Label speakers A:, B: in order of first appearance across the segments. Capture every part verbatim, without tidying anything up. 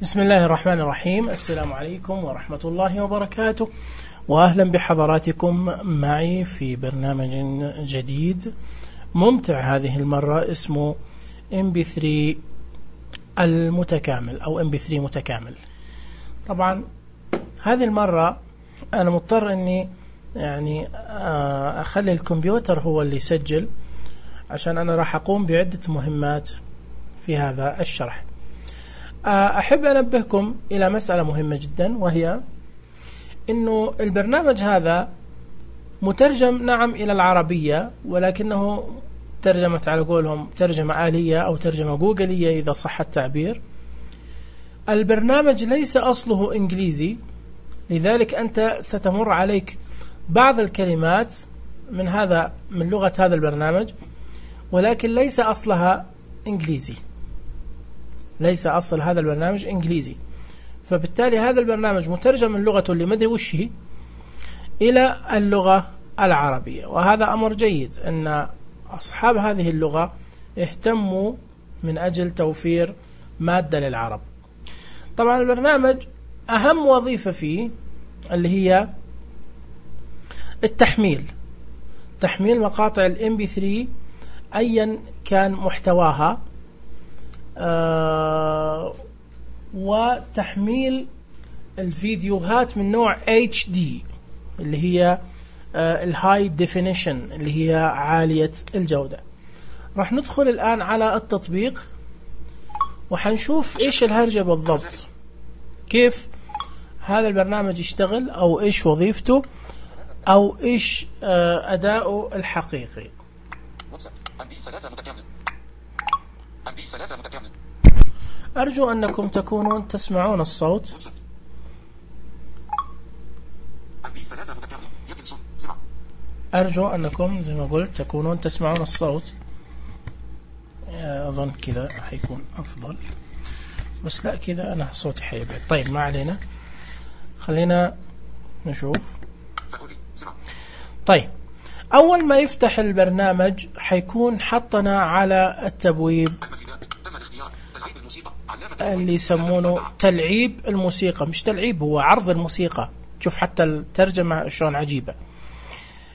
A: بسم الله الرحمن الرحيم. السلام عليكم ورحمة الله وبركاته، وأهلا بحضراتكم معي في برنامج جديد ممتع هذه المرة اسمه إم بي ثري المتكامل أو إم بي ثري متكامل. طبعا هذه المرة أنا مضطر أني يعني أخلي الكمبيوتر هو اللي يسجل، عشان أنا راح أقوم بعدة مهمات في هذا الشرح. أحب أنبهكم إلى مسألة مهمة جدا، وهي أنه البرنامج هذا مترجم نعم إلى العربية، ولكنه ترجمت على قولهم ترجمة آلية أو ترجمة جوجلية إذا صح التعبير. البرنامج ليس أصله إنجليزي، لذلك أنت ستمر عليك بعض الكلمات من هذا من لغة هذا البرنامج، ولكن ليس أصلها إنجليزي، ليس أصل هذا البرنامج إنجليزي. فبالتالي هذا البرنامج مترجم من لغته اللي مدري وش هي إلى اللغة العربية، وهذا أمر جيد أن أصحاب هذه اللغة اهتموا من أجل توفير مادة للعرب. طبعا البرنامج أهم وظيفة فيه اللي هي التحميل، تحميل مقاطع الإم بي ثري أيا كان محتواها، آه وتحميل الفيديوهات من نوع إتش دي اللي هي آه الهاي ديفينيشن اللي هي عالية الجودة. راح ندخل الآن على التطبيق وحنشوف إيش الهرجة بالضبط، كيف هذا البرنامج يشتغل، أو إيش وظيفته، أو إيش آه أداؤه الحقيقي. أرجو أنكم تكونون تسمعون الصوت. أرجو أنكم زي ما قلت تكونون تسمعون الصوت. أظن كذا حيكون أفضل، بس لا كذا أنا صوتي حيبعد. طيب ما علينا، خلينا نشوف. طيب أول ما يفتح البرنامج حيكون حطنا على التبويب اللي يسمونه تلعيب الموسيقى، مش تلعيب، هو عرض الموسيقى. شوف حتى الترجمة شلون عجيبة.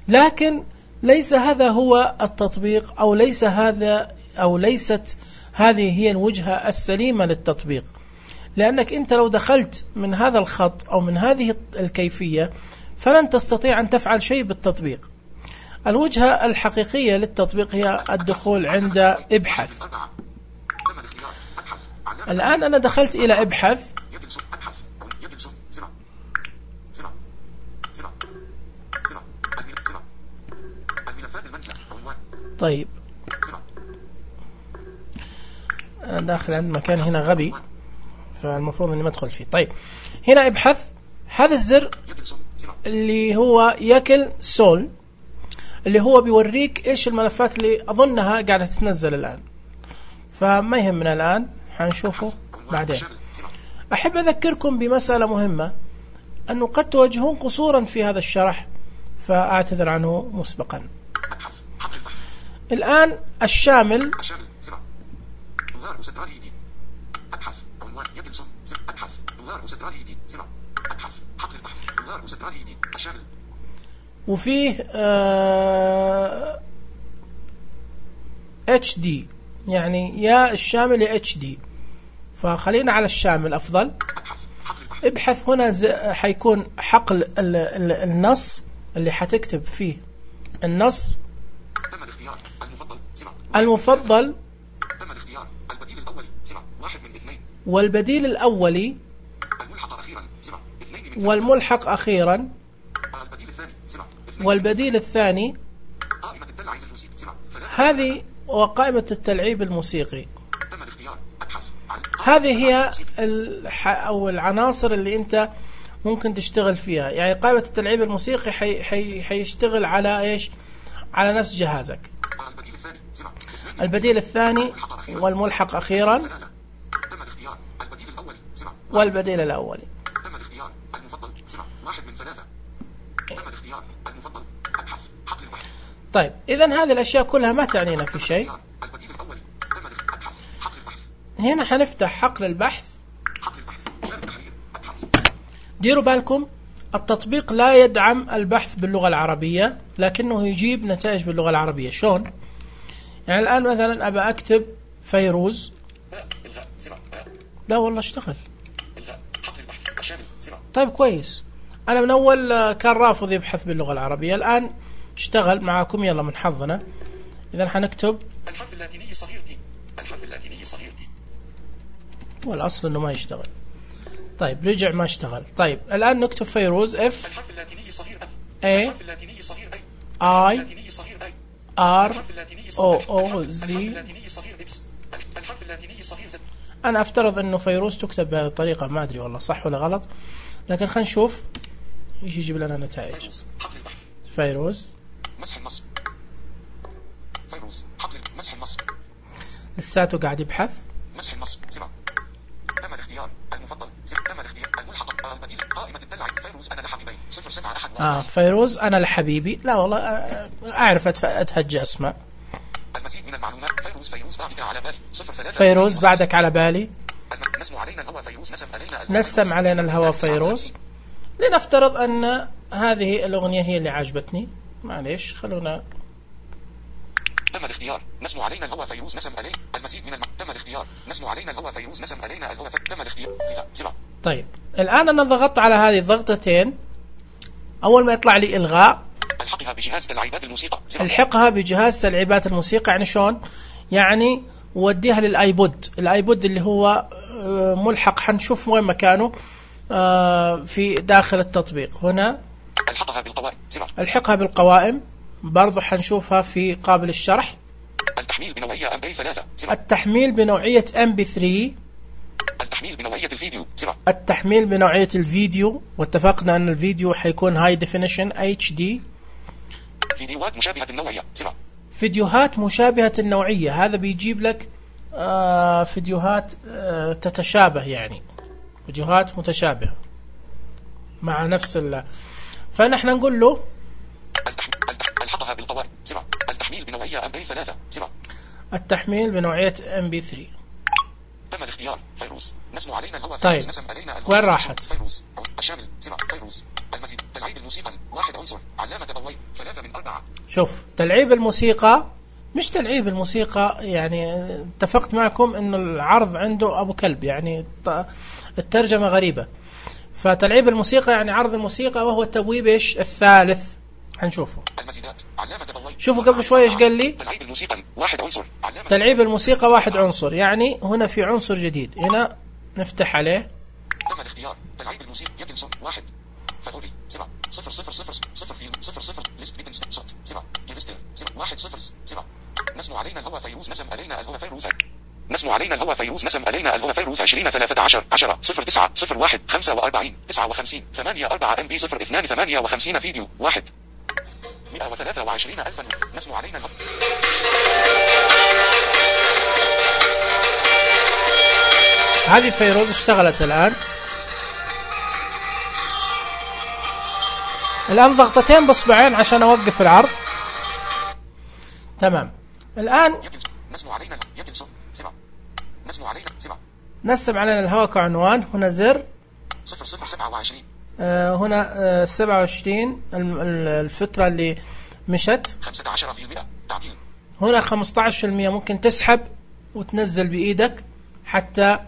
A: لكن ليس هذا هو التطبيق، أو ليس هذا أو ليست هذه هي الوجهة السليمة للتطبيق، لأنك أنت لو دخلت من هذا الخط أو من هذه الكيفية فلن تستطيع أن تفعل شيء بالتطبيق. الوجهة الحقيقية للتطبيق هي الدخول عند ابحث. الآن أنا دخلت إلى ابحث، طيب أنا داخل عند مكان هنا غبي، فالمفروض أني ما أدخل فيه. طيب هنا ابحث، هذا الزر اللي هو يكل سول اللي هو بيوريك إيش الملفات اللي أظنها قاعدة تتنزل الآن، فما يهمنا الآن، حنشوفه بعدين. أحب أذكركم بمسألة مهمة، أنه قد تواجهون قصورا في هذا الشرح، فأعتذر عنه مسبقا. الآن الشامل وفيه آه إتش دي، يعني يا الشامل يا إتش دي، فخلينا على الشامل أفضل. ابحث هنا حيكون حقل ال ال النص اللي حتكتب فيه النص المفضل والبديل الأولي والملحق أخيرا والبديل الثاني. هذه وقائمة التلعيب الموسيقي، هذه هي أو العناصر اللي أنت ممكن تشتغل فيها. يعني قائمة التلعيب الموسيقي حي حي حيشتغل على إيش؟ على نفس جهازك. البديل الثاني والملحق أخيرا والبديل الأولي. طيب إذن هذه الأشياء كلها ما تعنينا في شيء. هنا حنفتح حقل البحث ديروا بالكم التطبيق لا يدعم البحث باللغة العربية، لكنه يجيب نتائج باللغة العربية. شلون؟ يعني الآن مثلا أبى أكتب فيروز، لا والله اشتغل. طيب كويس، أنا من أول كان رافض يبحث باللغة العربية، الآن اشتغل معاكم. يلا من حظنا. إذا حنكتب
B: الحرف اللاتيني صغير دي، الحرف اللاتيني صغير دي،
A: والأصل إنه ما يشتغل. طيب رجع ما اشتغل. طيب الآن نكتب فيروز اف
B: الحرف اللاتيني صغير اف،
A: اي
B: الحرف اللاتيني صغير اي،
A: اي
B: اللاتيني صغير اي،
A: ار
B: الحرف اللاتيني
A: او
B: صغير
A: او
B: الحرف
A: زي.
B: اللاتيني صغير اكس، الحرف اللاتيني صغير زد.
A: أنا أفترض إنه فيروز تكتب بهذه الطريقة، ما أدري والله صح ولا غلط، لكن خلينا نشوف إيش يجيب لنا نتائج.
B: فيروز حقل البحث،
A: فيروز
B: مسح النصب، فيروز حقل مسح النصب،
A: لساته قاعد يبحث.
B: مسح النصب زر، تم الاختيار المفضل زر، تم الاختيار الملحق البديل، قائمة الدلع فيروز أنا لحبيبي صفر سبعة أحد.
A: آه فيروز أنا لحبيبي، لا والله أعرف أتهجى أسماء.
B: المزيد من المعلومات فيروز فيروز بعدك على بالي صفر ثلاثة.
A: فيروز بعدك على بالي.
B: نسم علينا الهوى فيروز نسم علينا
A: نسم علينا الهوى فيروز. لنفترض أن هذه الأغنية هي اللي عجبتني، معليش خلونا.
B: تم الاختيار نسم علينا الهوى فيروز نسم علي المزيد من الم... تم الاختيار نسم علينا الهوى فيروز نسم علينا الهوى ف... تم الاختيار سبعة.
A: طيب الآن أنا ضغطت على هذه الضغطتين، أول ما يطلع لي إلغاء
B: الحقها بجهاز تلعيبات الموسيقى.
A: الحقها بجهاز تلعيبات الموسيقى. يعني شلون؟ يعني وديها للآيبود، الآيبود اللي هو ملحق، حنشوف وين مكانه في داخل التطبيق. هنا
B: الحقها بالقوائم سبعة.
A: الحقها بالقوائم برضو حنشوفها في قابل الشرح.
B: التحميل بنوعية ام بي ثلاثة سبعة.
A: التحميل بنوعية ام بي ثلاثة.
B: التحميل بنوعية الفيديو سبعة.
A: التحميل بنوعية الفيديو، واتفقنا أن الفيديو حيكون هاي ديفينيشن اتش دي.
B: فيديوهات مشابهة النوعية سبعة.
A: فيديوهات مشابهة النوعية، هذا بيجيب لك آه فيديوهات آه تتشابه، يعني فيديوهات متشابهة مع نفس ال. فنحن نقول له
B: التحميل الحقها بالقوائم سبعة. التحميل بنوعية ام بي ثلاثة سبعة.
A: التحميل بنوعية ام بي ثلاثة.
B: تم الاختيار فيروز نسم علينا الهوى
A: طيب.
B: فيروز نسم علينا الهوى.
A: وين راحت؟
B: فيروز الشامل سبعة. فيروز المزيد تلعيب الموسيقى واحد عنصر علامة ضوئية ثلاثة من أربعة.
A: شوف تلعيب الموسيقى مش تلعيب الموسيقى، يعني اتفقت معكم انه العرض عنده ابو كلب، يعني الترجمة غريبة. فتلعيب الموسيقى يعني عرض الموسيقى، وهو التبويب ايش الثالث. هنشوفه.
B: المزيدات علامة ضوئية.
A: شوفوا قبل شوي ايش قال لي؟
B: تلعيب الموسيقى واحد عنصر علامة.
A: تلعيب الموسيقى واحد عنصر، يعني هنا في عنصر جديد، هنا نفتح عليه.
B: تم الاختيار تلعيب الموسيقى يكن صوت واحد فالوري سبعة صفر صفر صفر صفر فيلم صفر صفر ليست بيتن صوت سبعة كيمستر سبعة واحد صفر سبعة. نسم علينا الهوى فيروز نسم علينا الهوى فيروز. نسم علينا الهوى فيروز نسم علينا الهوى فيروز عشرين ثلاثة عشر عشرة صفر تسعة صفر واحد خمسة وأربعين تسعة وخمسين ثمانية أربعة ام بي صفر اثنان ثمانية وخمسين فيديو واحد مئة وثلاثة وعشرين ألفا. نسم علينا الهوى.
A: هذه فيروز اشتغلت الآن. الآن ضغطتين بصبعين عشان أوقف العرض. تمام. الآن
B: نسم علينا يكن صوت سبعة. نسم علينا سبعة.
A: نسم علينا الهواء كعنوان. هنا زر
B: صفر صفر سبعة وعشرين.
A: آه هنا آه سبعة وعشرين الفترة اللي مشت.
B: خمسة عشر في المئة تعديل.
A: هنا خمسة عشر في المئة ممكن تسحب وتنزل بإيدك حتى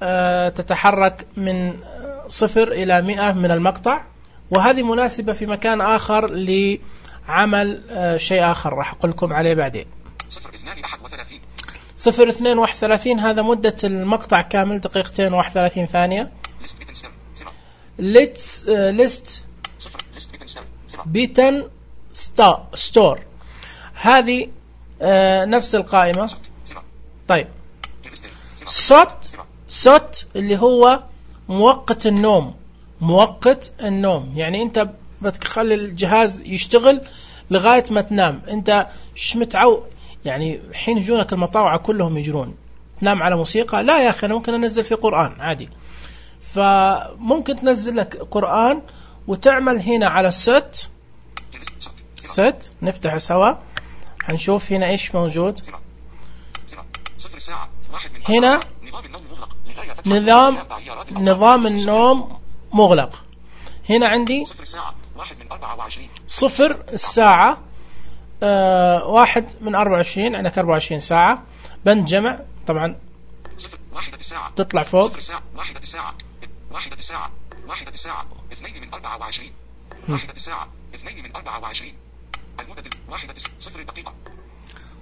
A: آه تتحرك من صفر إلى مئة من المقطع، وهذه مناسبة في مكان آخر لعمل آه شيء آخر راح أقول لكم عليه بعدين.
B: صفر اثنان أحد وثلاثين.
A: صفر اثنين واحد وثلاثين هذا مدة المقطع كامل دقيقتين واحد وثلاثين ثانية. ليتس ليست بيتن ستا ستور هذه آه نفس القائمة. طيب صوت صوت اللي هو مؤقت النوم. مؤقت النوم يعني انت بتخلي الجهاز يشتغل لغاية ما تنام. انت ش متعو يعني حين يجونك المطاوعة كلهم يجرون تنام على موسيقى؟ لا يا اخي انا ممكن انزل في قرآن عادي. فممكن تنزل لك قرآن وتعمل هنا على الست ست. نفتح سوا هنشوف هنا ايش موجود. هنا نظام نظام النوم مغلق. هنا عندي
B: صفر الساعة واحد من أربعة وعشرين.
A: صفر الساعة آه واحد من أربعة وعشرين، عندك أربعة وعشرين ساعة. بند جمع طبعا
B: صفر واحدة الساعة
A: تطلع فوق.
B: صفر الساعة واحدة الساعة واحدة الساعة واحدة الساعة اثنين من أربعة وعشرين. واحدة الساعة اثنين من أربعة وعشرين. المدة واحدة صفر دقيقة.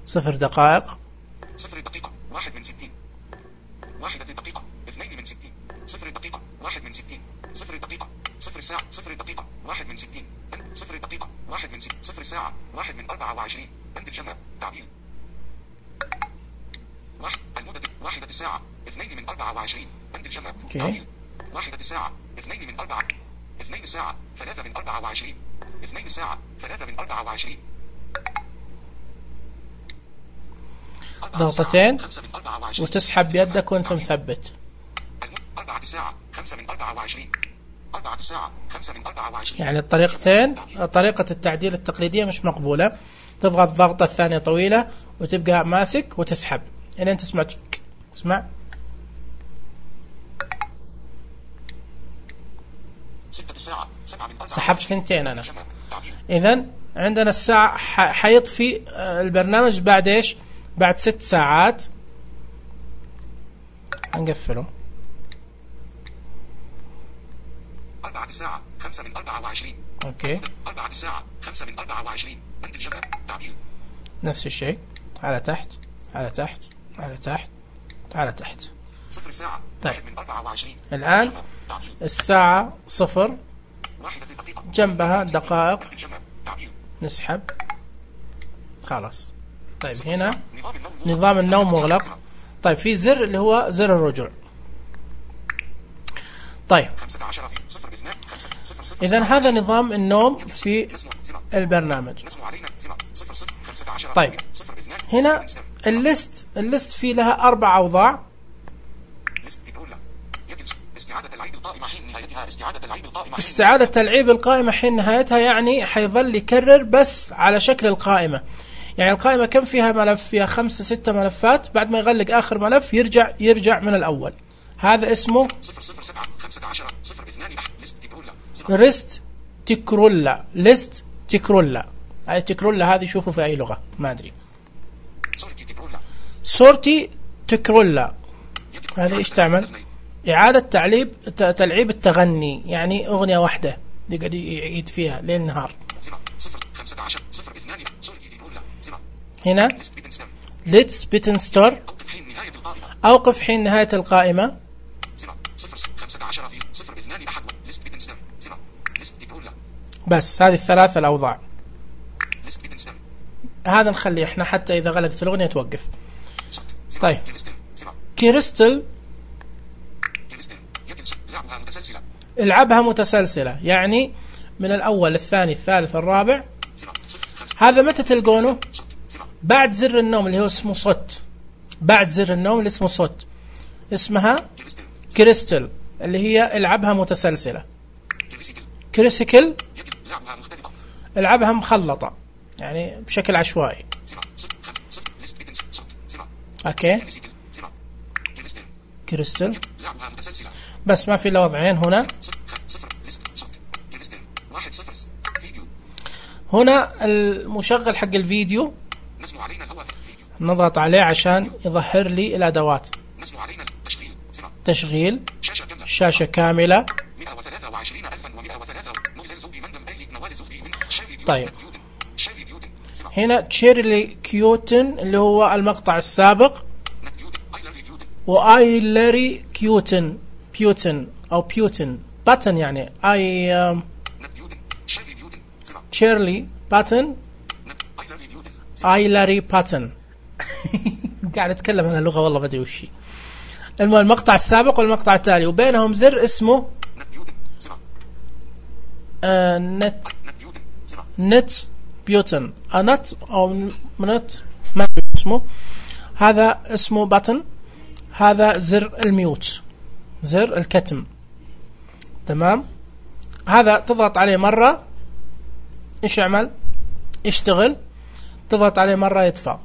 A: صفر دقائق.
B: صفر دقيقة واحد من ستين. واحدة دقيقة اثنين من ستين. صفر دقيقة واحد من ستين. صفر دقيقة صفر ساعة صفر دقيقة واحد من ستين. صفر دقيقة واحد من ستين. صفر ساعة واحد من أربعة وعشرين. بند الجمع تعديل. واحد المدة واحدة الساعة اثنين من أربعة وعشرين. بند الجمع تعديل. واحدة الساعة اثنين من أربعة. اثنين الساعة ثلاثة من أربعة وعشرين. اثنين الساعة ثلاثة من أربعة وعشرين.
A: ضغطتين وتسحب بيدك وانت مثبت.
B: أربعة الساعة خمسة من أربعة وعشرين. أربعة الساعة خمسة من أربعة وعشرين.
A: يعني الطريقتين، طريقة التعديل التقليدية مش مقبولة. تضغط ضغطة ثانية طويلة وتبقى ماسك وتسحب إلى أن تسمع تك. اسمع.
B: ستة الساعة سبعة من أربعة.
A: سحبت ثنتين أنا. إذن عندنا الساعة حيطفي البرنامج بعد إيش؟ بعد ست ساعات. هنقفله.
B: أربعة الساعة خمسة من أربعة وعشرين.
A: أوكي.
B: أربعة الساعة خمسة من أربعة وعشرين. بند الجمع تعديل.
A: نفس الشيء. على تحت على تحت على تحت على تحت.
B: صفر الساعة
A: طيب.
B: واحد من أربعة وعشرين.
A: الآن الساعة صفر
B: واحدة دقيقة.
A: جنبها دقائق.
B: الجمع تعديل.
A: نسحب. خلاص. طيب هنا
B: نظام النوم
A: نظام النوم مغلق. طيب في زر اللي هو زر الرجوع. طيب
B: خمسة عشر في صفر اثنان خمسة صفر صفر.
A: إذن هذا نظام النوم في البرنامج.
B: نسمو علينا صفر صفر خمسة عشر.
A: طيب هنا الليست الليست في لها أربع أوضاع.
B: استعادة العيب القائمة حين نهايتها. استعادة العيب القائمة.
A: استعادة تلعيب القائمة حين نهايتها، يعني حيظل يكرر بس على شكل القائمة. يعني القائمة كم فيها ملف؟ فيها خمسة ستة ملفات. بعد ما يغلق آخر ملف يرجع يرجع من الأول. هذا اسمه ريست تكرولا. ليست تكرولا. هاي تكرولا هذه شوفوا في أي لغة ما أدري. سورتي تكرولا هذا إيش تعمل؟ إعادة تعليب تلعيب التغني، يعني أغنية واحدة يقعد يعيد فيها ليل نهار. هنا Let's Bit and Store. أوقف حين نهاية القائمة. بس هذه الثلاثة الأوضاع. هذا نخليه احنا حتى إذا غلقت الأغنية توقف. طيب كريستال العبها متسلسلة، يعني من الأول الثاني الثالث الرابع. هذا متى تلقونه؟ بعد زر النوم اللي هو اسمه صوت. بعد زر النوم اللي اسمه صوت اسمها كريستال اللي هي العبها متسلسلة. كريسيكل العبها مخلطة يعني بشكل عشوائي. اوكي كريستال بس ما في الا وضعين هنا. هنا المشغل حق الفيديو نضغط عليه عشان يظهر لي الادوات. تشغيل شاشة كاملة. طيب هنا تشيرلي كيوتن اللي هو المقطع السابق، وآيلري كيوتن بيوتن أو بيوتن باتن، يعني آي تشيرلي باتن آيلري باتن. قاعد أتكلم عن اللغة والله بدري وشي. المهم المقطع السابق والمقطع التالي وبينهم زر اسمه آه نت نت بيوتن نت أو نت ما اسمه. هذا اسمه باتن. هذا زر الميوت، زر الكتم. تمام. هذا تضغط عليه مرة ايش يعمل؟ يشتغل. تضغط عليه مرة يطفى.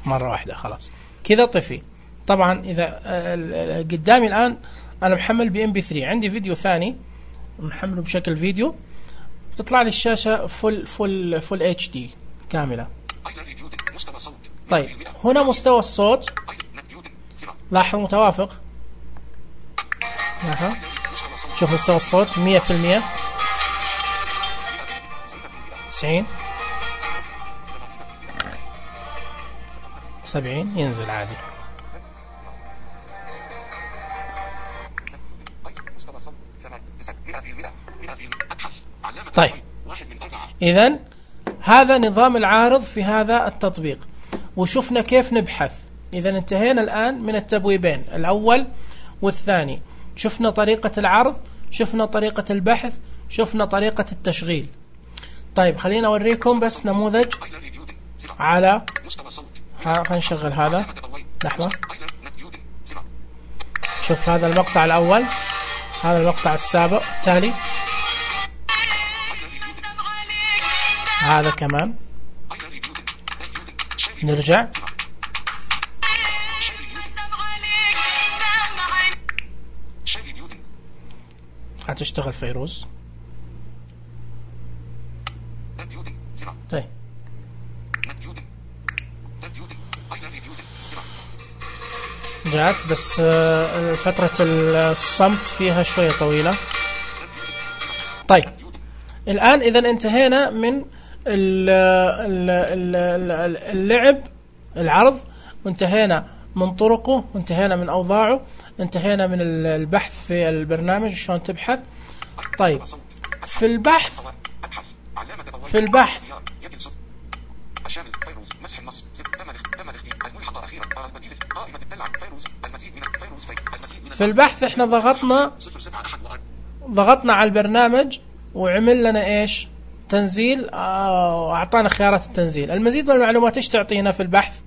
A: مرة واحدة خلاص كذا طفي. طبعا إذا قدامي الآن أنا محمل ب إم بي ثري، عندي فيديو ثاني محمله بشكل فيديو، تطلع لي الشاشة فل فل فل اتش دي كاملة. طيب هنا مستوى الصوت لاحظ متوافق، لاحظ شوف مستوى الصوت مية في المية، تسعين، سبعين، ينزل عادي. طيب إذن هذا نظام العارض في هذا التطبيق، وشفنا كيف نبحث. إذن انتهينا الآن من التبويبين الأول والثاني، شفنا طريقة العرض، شفنا طريقة البحث، شفنا طريقة التشغيل. طيب خلينا أوريكم بس نموذج على ها، خلينا نشغل هذا لحظة. شوف هذا المقطع الأول، هذا المقطع السابق التالي، هذا كمان. نرجع هتشتغل فيروز. طيب جاءت بس فترة الصمت فيها شوية طويلة. طيب الآن إذا انتهينا من اللعب العرض، وانتهينا من طرقه، وانتهينا من أوضاعه، انتهينا من البحث في البرنامج شلون تبحث. طيب في البحث في البحث في البحث احنا ضغطنا ضغطنا على البرنامج وعمل لنا ايش؟ تنزيل، واعطانا خيارات التنزيل. المزيد من المعلومات ايش تعطينا في البحث؟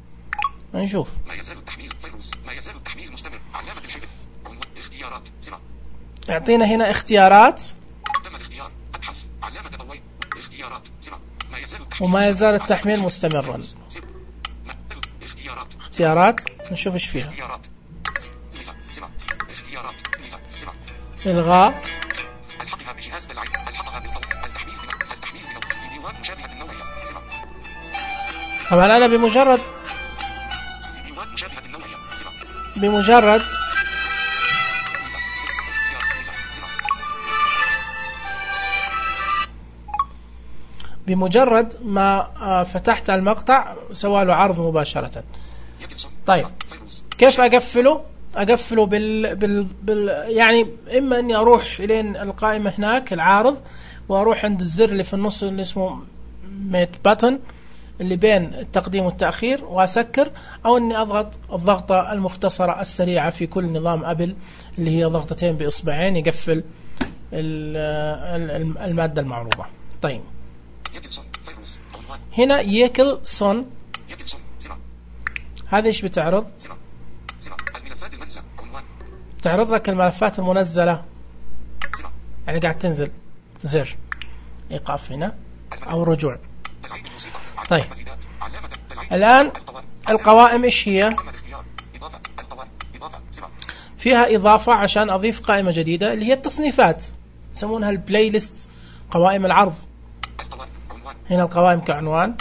A: نشوف.
B: ما يزال التحميل فيروز، ما يزال التحميل مستمر، علامة الحذف، اختيارات، سبعة.
A: يعطينا هنا اختيارات.
B: تم الاختيار، ابحث، علامة ضوء، اختيارات، سبعة. ما يزال التحميل
A: وما يزال التحميل مستمرا.
B: اختيارات.
A: اختيارات، نشوف ايش فيها.
B: اختيارات. سبعة. اختيارات. سبعة.
A: الغاء.
B: الحقها بجهاز العين، الحقها بالضوء، التحميل من التحميل من فيديوهات مشابهة النوعية، سبعة.
A: طبعا انا بمجرد
B: فيديوهات مشابهة النوعية، سبعة.
A: بمجرد بمجرد ما فتحت المقطع سوى له عرض مباشرة. طيب كيف أقفله؟ أقفله بال, بال... بال... يعني إما أني أروح إلين القائمة هناك العارض، وأروح عند الزر اللي في النص اللي اسمه ميت باتن اللي بين التقديم والتأخير وأسكر، أو أني أضغط الضغطة المختصرة السريعة في كل نظام أبل اللي هي ضغطتين بإصبعين يقفل المادة المعروضة. طيب هنا يكل صن، هذا ايش بتعرض؟ تعرض لك الملفات المنزلة، يعني قاعد تنزل زر ايقاف هنا او رجوع. طيب الآن القوائم ايش هي؟ فيها إضافة عشان أضيف قائمة جديدة اللي هي التصنيفات، يسمونها البلاي ليست، قوائم العرض. هنا القوائم كعنوان.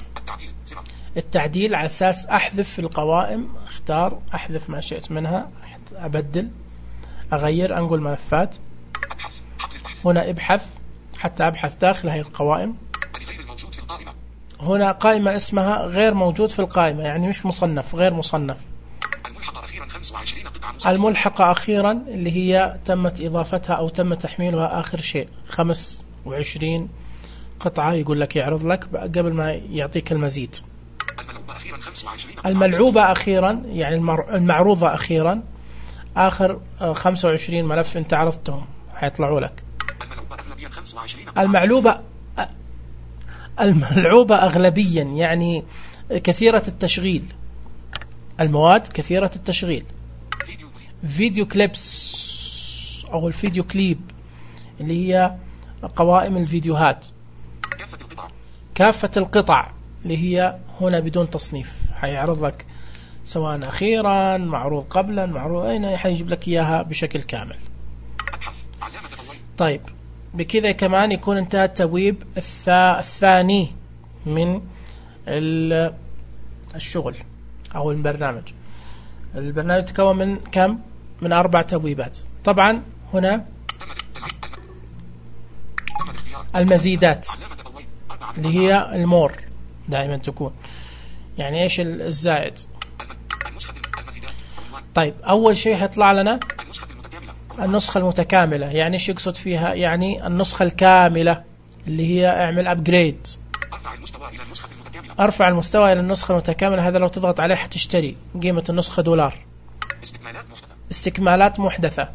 A: التعديل على أساس أحذف في القوائم، اختار أحذف ما شئت منها، أبدل، أغير، أنقل ملفات. هنا ابحث حتى أبحث داخل هذه القوائم. هنا قائمة اسمها غير موجود في القائمة، يعني مش مصنف، غير مصنف. الملحقة أخيرا اللي هي تمت إضافتها أو تم تحميلها آخر شيء، خمس وعشرين قطعة يقول لك يعرض لك قبل ما يعطيك المزيد. الملعوبة أخيرا يعني المعروضة أخيرا، آخر خمسة وعشرين ملف أنت عرضتهم حيطلعوا لك. المعلوبة الملعوبة أغلبيا يعني كثيرة التشغيل، المواد كثيرة التشغيل. فيديو كليبس أو الفيديو كليب اللي هي قوائم الفيديوهات. كافة القطع اللي هي هنا بدون تصنيف، حيعرض لك سواء أخيرا، معروض قبلا، معروض أين، حيجيب لك إياها بشكل كامل. طيب بكذا كمان يكون انتهى التبويب الثاني من الشغل أو البرنامج. البرنامج يتكون من كم؟ من أربع تبويبات. طبعا هنا المزيدات اللي هي المور دائما تكون، يعني ايش الزائد. طيب أول شيء هيطلع لنا النسخة المتكاملة. يعني ايش يقصد فيها؟ يعني النسخة الكاملة اللي هي اعمل أبجريد، ارفع المستوى إلى النسخة المتكاملة. هذا لو تضغط عليه حتشتري، قيمة النسخة دولار. استكمالات محدثة،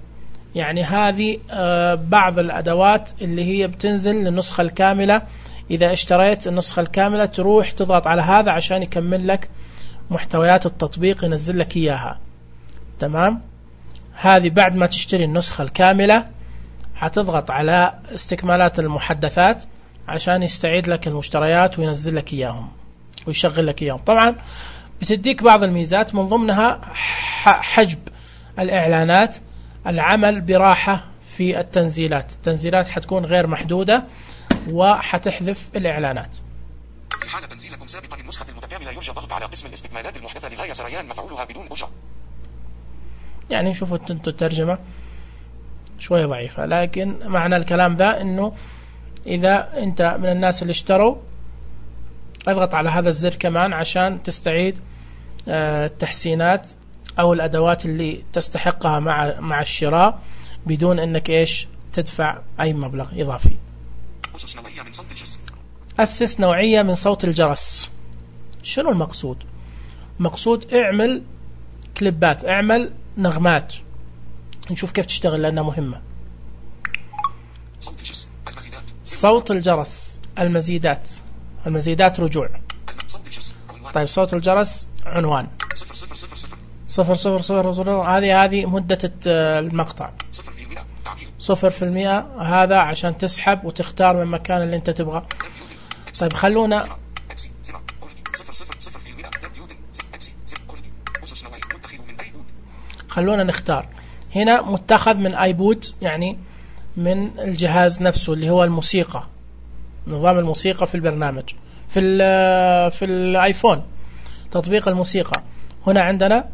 A: يعني هذه بعض الأدوات اللي هي بتنزل للنسخة الكاملة. إذا اشتريت النسخة الكاملة تروح تضغط على هذا عشان يكمل لك محتويات التطبيق، ينزل لك إياها. تمام؟ هذه بعد ما تشتري النسخة الكاملة هتضغط على استكمالات المحدثات عشان يستعيد لك المشتريات وينزل لك إياهم ويشغل لك إياهم. طبعا بتديك بعض الميزات، من ضمنها حجب الإعلانات، العمل براحة في التنزيلات. التنزيلات حتكون غير محدودة وحتحذف الإعلانات.
B: في حال تنزيلكم سابقا النسخة المتكاملة يرجى الضغط على قسم الاستكمالات المحدثة لغاية سريان مفعولها بدون أجرة.
A: يعني شوفوا انتوا الترجمة شوية ضعيفة، لكن معنى الكلام ذا انه اذا انت من الناس اللي اشتروا اضغط على هذا الزر كمان عشان تستعيد التحسينات او الادوات اللي تستحقها مع مع الشراء بدون انك ايش تدفع اي مبلغ اضافي.
B: أسس نوعية من صوت الجرس.
A: أسس نوعية من صوت الجرس. شنو المقصود؟ مقصود اعمل كليبات، اعمل نغمات، نشوف كيف تشتغل لأنها مهمة.
B: صوت الجرس المزيدات.
A: صوت الجرس المزيدات. المزيدات رجوع.
B: صوت الجرس عنوان.
A: طيب صوت الجرس عنوان
B: صفر صفر صفر صفر
A: صفر صفر صفر صفر. هذه هذه مدة المقطع.
B: صفر في المئة تعديل.
A: صفر في المئة. هذا عشان تسحب وتختار من المكان اللي انت تبغى. طيب خلونا خلونا نختار. هنا متخذ من ايبود، يعني من الجهاز نفسه اللي هو الموسيقى، نظام الموسيقى في البرنامج في ال في الايفون، تطبيق الموسيقى. هنا عندنا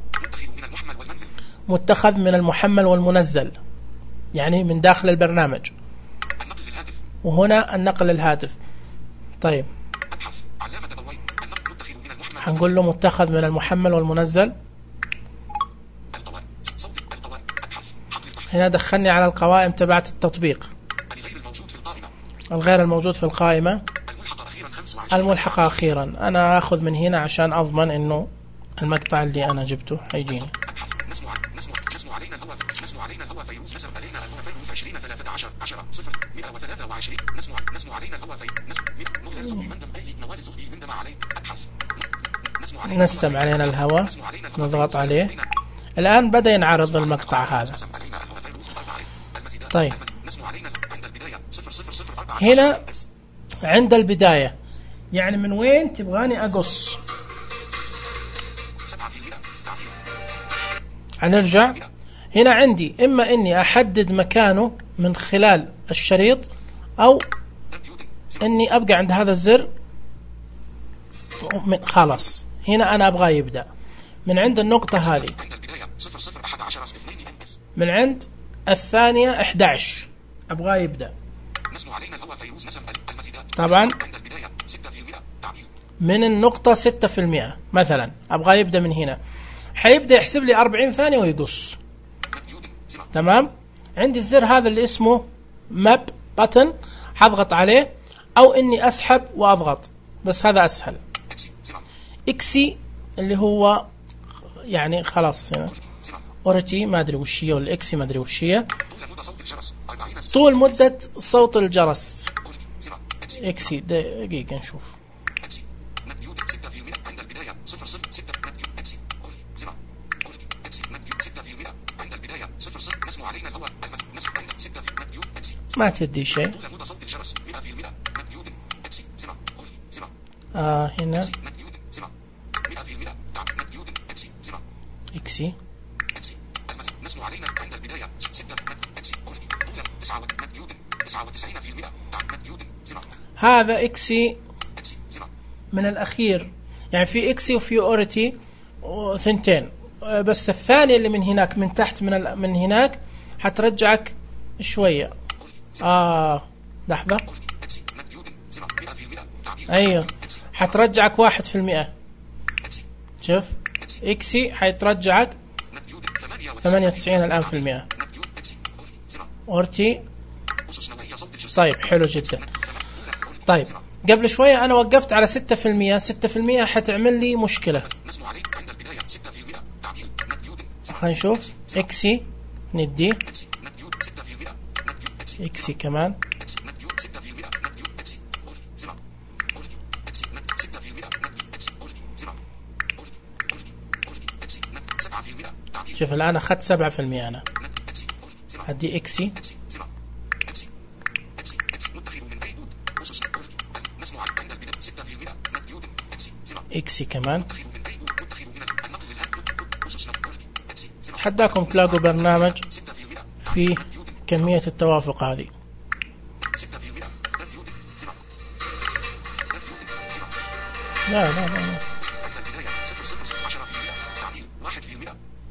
A: متخذ من المحمل والمنزل، يعني من داخل البرنامج. وهنا النقل للهاتف. طيب هنقول له متخذ من المحمل والمنزل. هنا دخلني على القوائم تبعت التطبيق، الغير الموجود في القائمة، الملحقة أخيرا. أنا أخذ من هنا عشان أضمن إنه المقطع اللي أنا جبته هيجيني. نستمع علينا الهواء، نضغط عليه. الآن بدأ ينعرض المقطع هذا. طيب هنا عند البداية، يعني من وين تبغاني أقص؟ هنرجع هنا. عندي إما إني أحدد مكانه من خلال الشريط، أو إني أبقى عند هذا الزر. خلاص هنا أنا أبغى يبدأ من عند النقطة هذه، من عند الثانية أحد عشر أبغى يبدأ. طبعا من النقطة ستة في المئة مثلا أبغى يبدأ من هنا، حيبدأ يحسب لي أربعين ثانية ويقص. تمام. عندي الزر هذا اللي اسمه ماب باتن، حضغط عليه، أو إني أسحب وأضغط، بس هذا أسهل. إكسي اللي هو يعني خلاص هنا أوريتي ما أدري وش هي، ولا إكسي ما أدري وش هي. طول مدة صوت الجرس. إكسي دقيقة نشوف. ما تدي شيء. آه هنا
B: اكسي سبعة
A: اكسي
B: اكسي نسمو علينا عند البداية ستة اكسي اوريدي طولا تسعة نيوتن تسعة وتسعين بالمئة نيوتن سبعة.
A: هذا اكسي
B: اكسي سبعة
A: من الأخير، يعني في اكسي وفي اوريتي ثنتين، بس الثاني اللي من هناك من تحت من من هناك حترجعك شوية. اه لحظة، ايوه حترجعك واحد في المئة. شوف اكسي حيترجعك ثمانية وتسعين الآن في المئة. اورتي طيب حلو جدا. طيب قبل شوية أنا وقفت على ستة في المئة، ستة في المئة حتعمل لي مشكلة. خلينا نشوف اكسي ندي اكسي كمان شوف الآن أخذت سبعة في المئة. أنا هدي اكسي اكسي كمان. حداكم تلاقوا برنامج في كمية التوافق هذه. لا لا لا, لا.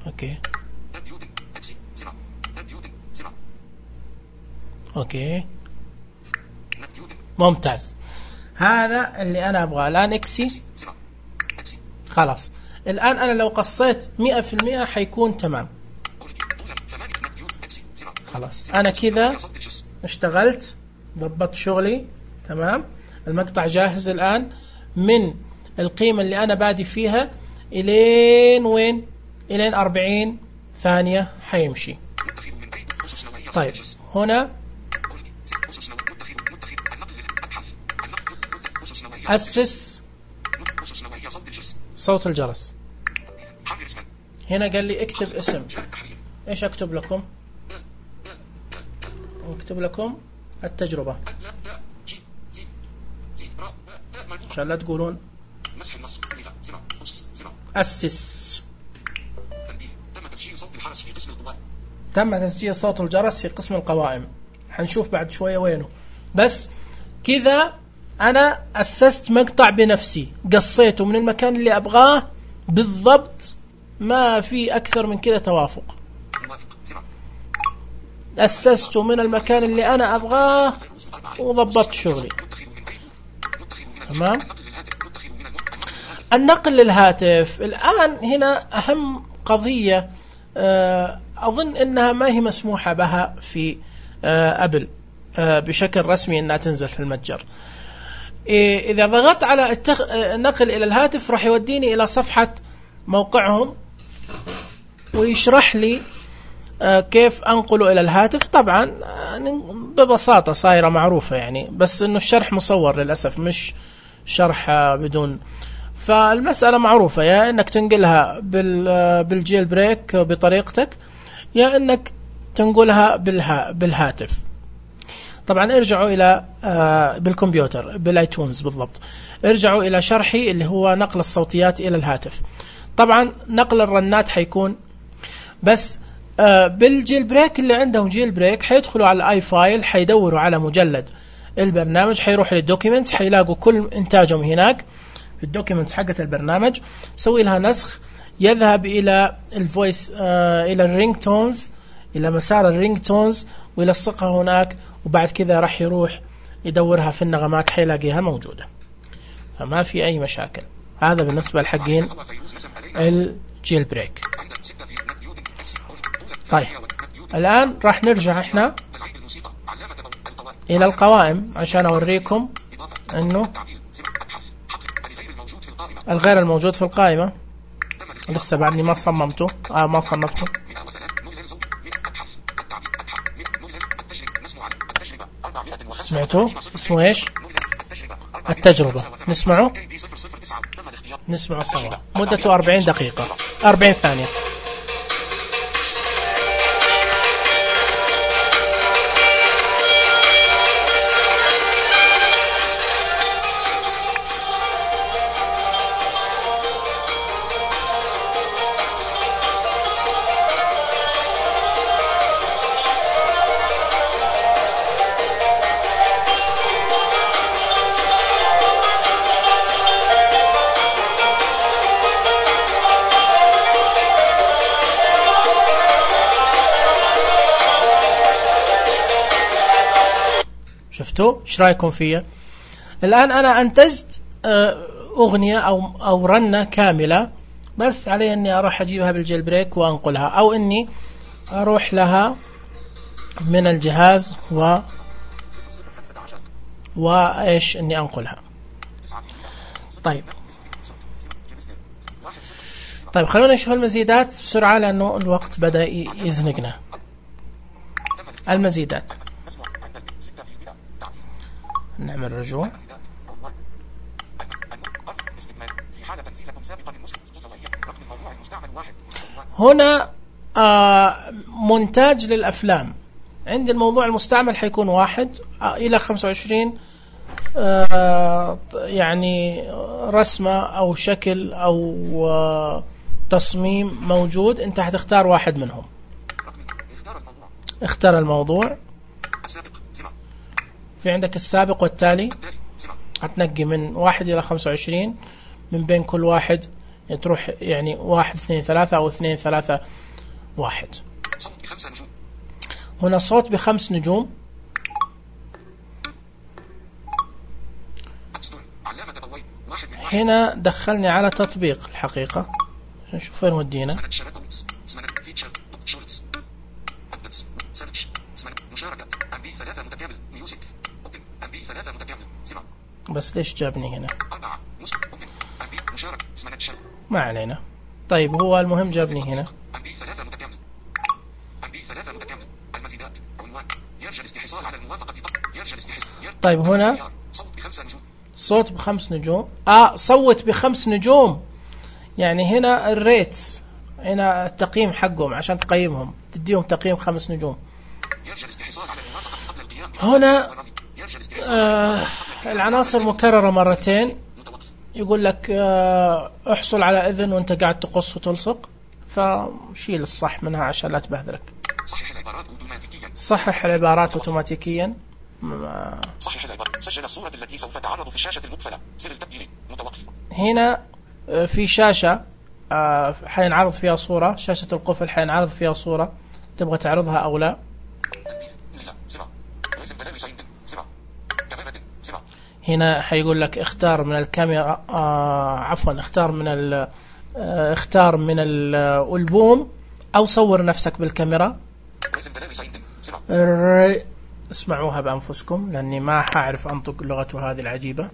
A: اوكي اوكي ممتاز. هذا اللي انا ابغاه الان. اكسي خلاص. الان انا لو قصيت مئة في المئة حيكون تمام. خلاص انا كذا اشتغلت ضبطت شغلي تمام. المقطع جاهز الان من القيمة اللي انا بادي فيها الين وين؟ الين أربعين ثانية حيمشي. طيب هنا أسس صوت الجرس. هنا قال لي اكتب اسم. ايش اكتب لكم؟ اكتب لكم التجربة عشان لا تقولون أسس. تم تسجيل صوت الجرس في قسم القوائم. حنشوف بعد شوية وينه. بس كذا أنا أسست مقطع بنفسي، قصيته من المكان اللي أبغاه بالضبط، ما في أكثر من كذا توافق. أسسته من المكان اللي أنا أبغاه وضبطت شغلي تمام. النقل للهاتف الآن هنا أهم قضية أظن أنها ما هي مسموحة بها في أبل بشكل رسمي أنها تنزل في المتجر. إذا ضغطت على التخ... النقل إلى الهاتف راح يوديني إلى صفحة موقعهم ويشرح لي كيف أنقله إلى الهاتف. طبعا ببساطة صايرة معروفة يعني، بس إنه الشرح مصور للأسف مش شرح بدون. فالمسألة معروفة، يا إنك تنقلها بال بالجيل بريك بطريقتك، يا إنك تنقلها بالها بالهاتف. طبعا ارجعوا إلى آه بالكمبيوتر بالايتونز بالضبط. ارجعوا إلى شرحي اللي هو نقل الصوتيات إلى الهاتف. طبعا نقل الرنات حيكون بس آه بالجيل بريك. اللي عندهم جيل بريك حيدخلوا على الاي فايل، حيدوروا على مجلد البرنامج، حيروح للدوكيمنتس، حيلاقوا كل انتاجهم هناك في الدوكيمنتس حقة البرنامج. سوي لها نسخ، يذهب إلى الفويس آه إلى الرينج تونز، إلى مسار الرينج تونز ويلصقها هناك، وبعد كذا راح يروح يدورها في النغمات حيلاقيها موجودة. فما في أي مشاكل. هذا بالنسبة لحقين الجيل بريك. طيب الآن راح نرجع احنا إلى القوائم عشان أوريكم أنه الغير الموجود في القائمة لسه بعدني ما صممته آه ما صنفته. سمعتوا اسمه ايش؟ التجربة. نسمعه نسمعه سوا. مدته أربعين دقيقة أربعين ثانية. شفتوا ايش رايكم فيها؟ الآن أنا أنتجت أغنية أو أو رنة كاملة، بس علي إني أروح أجيبها بالجيل بريك وأنقلها، أو إني أروح لها من الجهاز و وإيش إني أنقلها. طيب طيب خلونا نشوف المزيدات بسرعة لأنه الوقت بدأ يزنقنا. المزيدات نعمل رجوع. هنا آه مونتاج للأفلام. عندي الموضوع المستعمل حيكون واحد آه إلى خمسة وعشرين آه يعني رسمة أو شكل أو آه تصميم موجود. أنت هتختار واحد منهم. اختار الموضوع. في عندك السابق والتالي. هتنقي من واحد إلى خمسة وعشرين، من بين كل واحد تروح يعني واحد اثنين ثلاثة أو اثنين ثلاثة واحد. هنا صوت بخمس نجوم. هنا دخلني على تطبيق الحقيقة. نشوف فين ودينا. بس ليش جابني هنا؟ ما علينا. طيب هو المهم جابني هنا. طيب هنا صوت بخمس نجوم. آه صوت بخمس نجوم، يعني هنا الريت، هنا التقييم حقهم عشان تقيمهم تديهم تقييم خمس نجوم. هنا آه العناصر مكررة مرتين. يقول لك آه احصل على إذن وانت قاعد تقص وتلصق، فشيل الصح منها عشان لا تبهذلك. صحح العبارات اوتوماتيكيا. صحح العبارات اوتوماتيكيا. صحح العبارات. سجل الصورة التي سوف تعرض في الشاشة المقفلة. زر التبديل متوقف. هنا آه في شاشة آه حينعرض فيها صورة. شاشة القفل حينعرض فيها صورة. تبغى تعرضها أو لا؟ هنا حيقول لك اختار من الكاميرا آه عفوا اختار من ال آه اختار من الألبوم أو صور نفسك بالكاميرا. اسمعوها بأنفسكم لأني ما حاعرف أنطق لغته هذه العجيبة.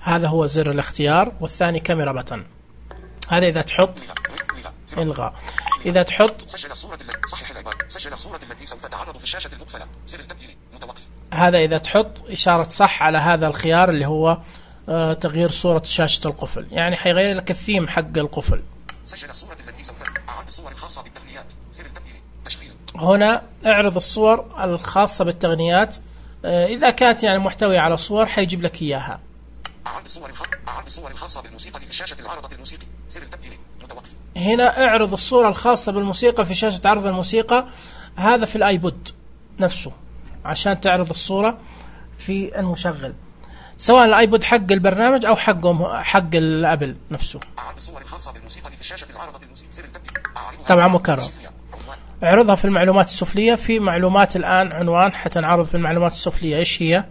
A: هذا هو زر الاختيار، والثاني كاميرا بطن. هذا إذا تحط إلغاء. إذا تحط سجل الصورة التي صحح العبارة. سجل الصورة التي سوف تعرض في الشاشة المقفلة. زر التبديل متوقف. هذا إذا تحط إشارة صح على هذا الخيار اللي هو آه تغيير صورة شاشة القفل، يعني حيغير لك الثيم حق القفل. سجل الصورة التي سوف أعرض الصور الخاصة بالتقنيات. زر التبديل تشغيل. هنا اعرض الصور الخاصة بالتقنيات. آه إذا كانت يعني محتوية على صور حيجيب لك إياها. أعرض الصور أعرض الصور الخاصة بالموسيقى في شاشة العرضة الموسيقي. زر التبديل متوقف. هنا اعرض الصورة الخاصة بالموسيقى في شاشة عرض الموسيقى. هذا في الايبود نفسه عشان تعرض الصورة في المشغل، سواء الايبود حق البرنامج او حقهم حق الابل نفسه. اعرض الصور الخاصة بالموسيقى في شاشة العرضة الموسيقى. زر التبديل. طبعا مكرر. اعرضها في المعلومات السفلية. في معلومات الآن عنوان حتنعرض في المعلومات السفلية. ايش هي؟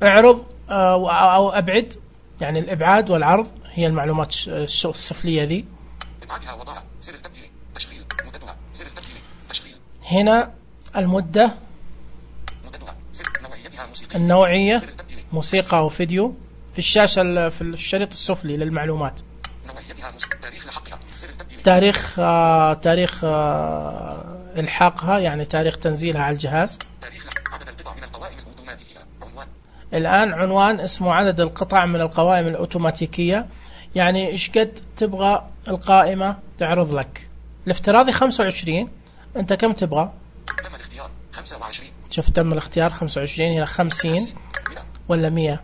A: اعرض او ابعد، يعني الابعاد والعرض هي المعلومات السفلية ذي. هنا المدة، النوعية موسيقى أو فيديو. في الشاشة في الشريط السفلي للمعلومات. تاريخ آه تاريخ آه الحاقها، يعني تاريخ تنزيلها على الجهاز. الآن عنوان اسمه عدد القطع من القوائم الأوتوماتيكية، يعني إيش قد تبغى القائمة تعرض لك. الافتراضي خمسة وعشرين، أنت كم تبغى؟ تم الاختيار خمسة وعشرين. شوف تم الاختيار خمسة وعشرين إلى خمسين ولا مية.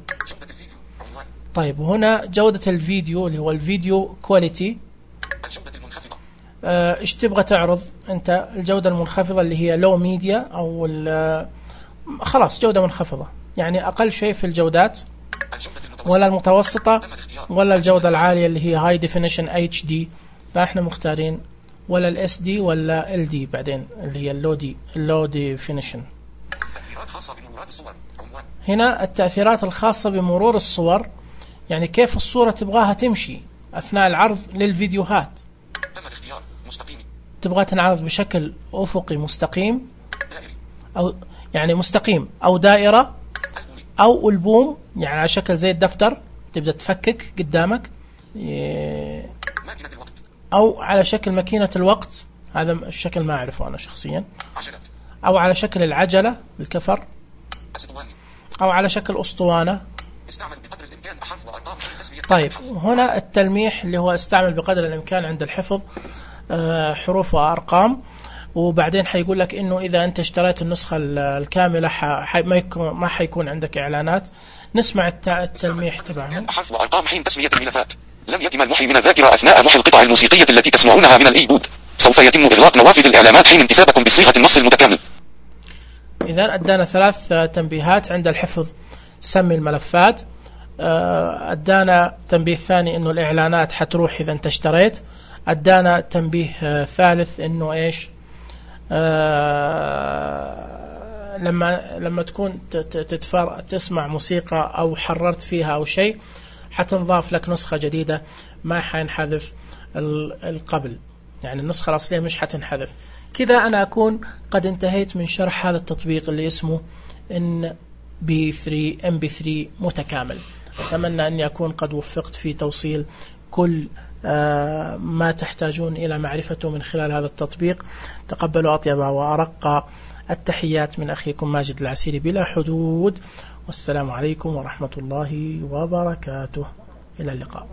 A: طيب هنا جودة الفيديو اللي هو الفيديو كواليتي. الجودة المنخفضة. اه إيش تبغى تعرض أنت؟ الجودة المنخفضة اللي هي لو ميديا أو خلاص جودة منخفضة، يعني أقل شيء في الجودات، ولا المتوسطة ولا الجودة العالية اللي هي هاي ديفينيشن اتش دي. فإحنا مختارين ولا الاس دي ولا ال دي بعدين اللي هي اللو دي اللو ديفينيشن. هنا التأثيرات الخاصة بمرور الصور، يعني كيف الصورة تبغاها تمشي أثناء العرض للفيديوهات. تبغى تنعرض بشكل أفقي مستقيم أو يعني مستقيم أو دائرة أو ألبوم، يعني على شكل زي الدفتر تبدأ تفكك قدامك، أو على شكل ماكينة الوقت، هذا الشكل ما أعرفه أنا شخصيا، أو على شكل العجلة الكفر، أو على شكل أسطوانة. طيب هنا التلميح اللي هو استعمل بقدر الإمكان عند الحفظ حروف وأرقام، وبعدين حيقول لك إنه إذا أنت اشتريت النسخة الكاملة حي ما يكون ما حيكون عندك إعلانات. نسمع التلميح تبعهم.
B: حرف وأرقام حين تسمية الملفات. لم يتم المحي من الذاكرة أثناء محي القطع الموسيقية التي تسمعونها من الإيبود. سوف يتم إغلاق نوافذ الإعلانات حين انتسابكم بصيغة النص المتكامل.
A: إذا أدانا ثلاث تنبيهات عند الحفظ: سمي الملفات، أدانا تنبيه ثاني إنه الإعلانات حتروح إذا أنت اشتريت، أدانا تنبيه ثالث إنه إيش آه لما لما تكون تتفر تسمع موسيقى أو حررت فيها أو شيء حتنضاف لك نسخة جديدة ما حينحذف القبل، يعني النسخة الأصلية مش حتنحذف. كذا أنا أكون قد انتهيت من شرح هذا التطبيق اللي اسمه إن بي ثري إم بي ثري متكامل. أتمنى أني أكون قد وفقت في توصيل كل آه ما تحتاجون إلى معرفته من خلال هذا التطبيق. تقبلوا أطيب وأرق التحيات من أخيكم ماجد العسيري بلا حدود، والسلام عليكم ورحمة الله وبركاته. إلى اللقاء.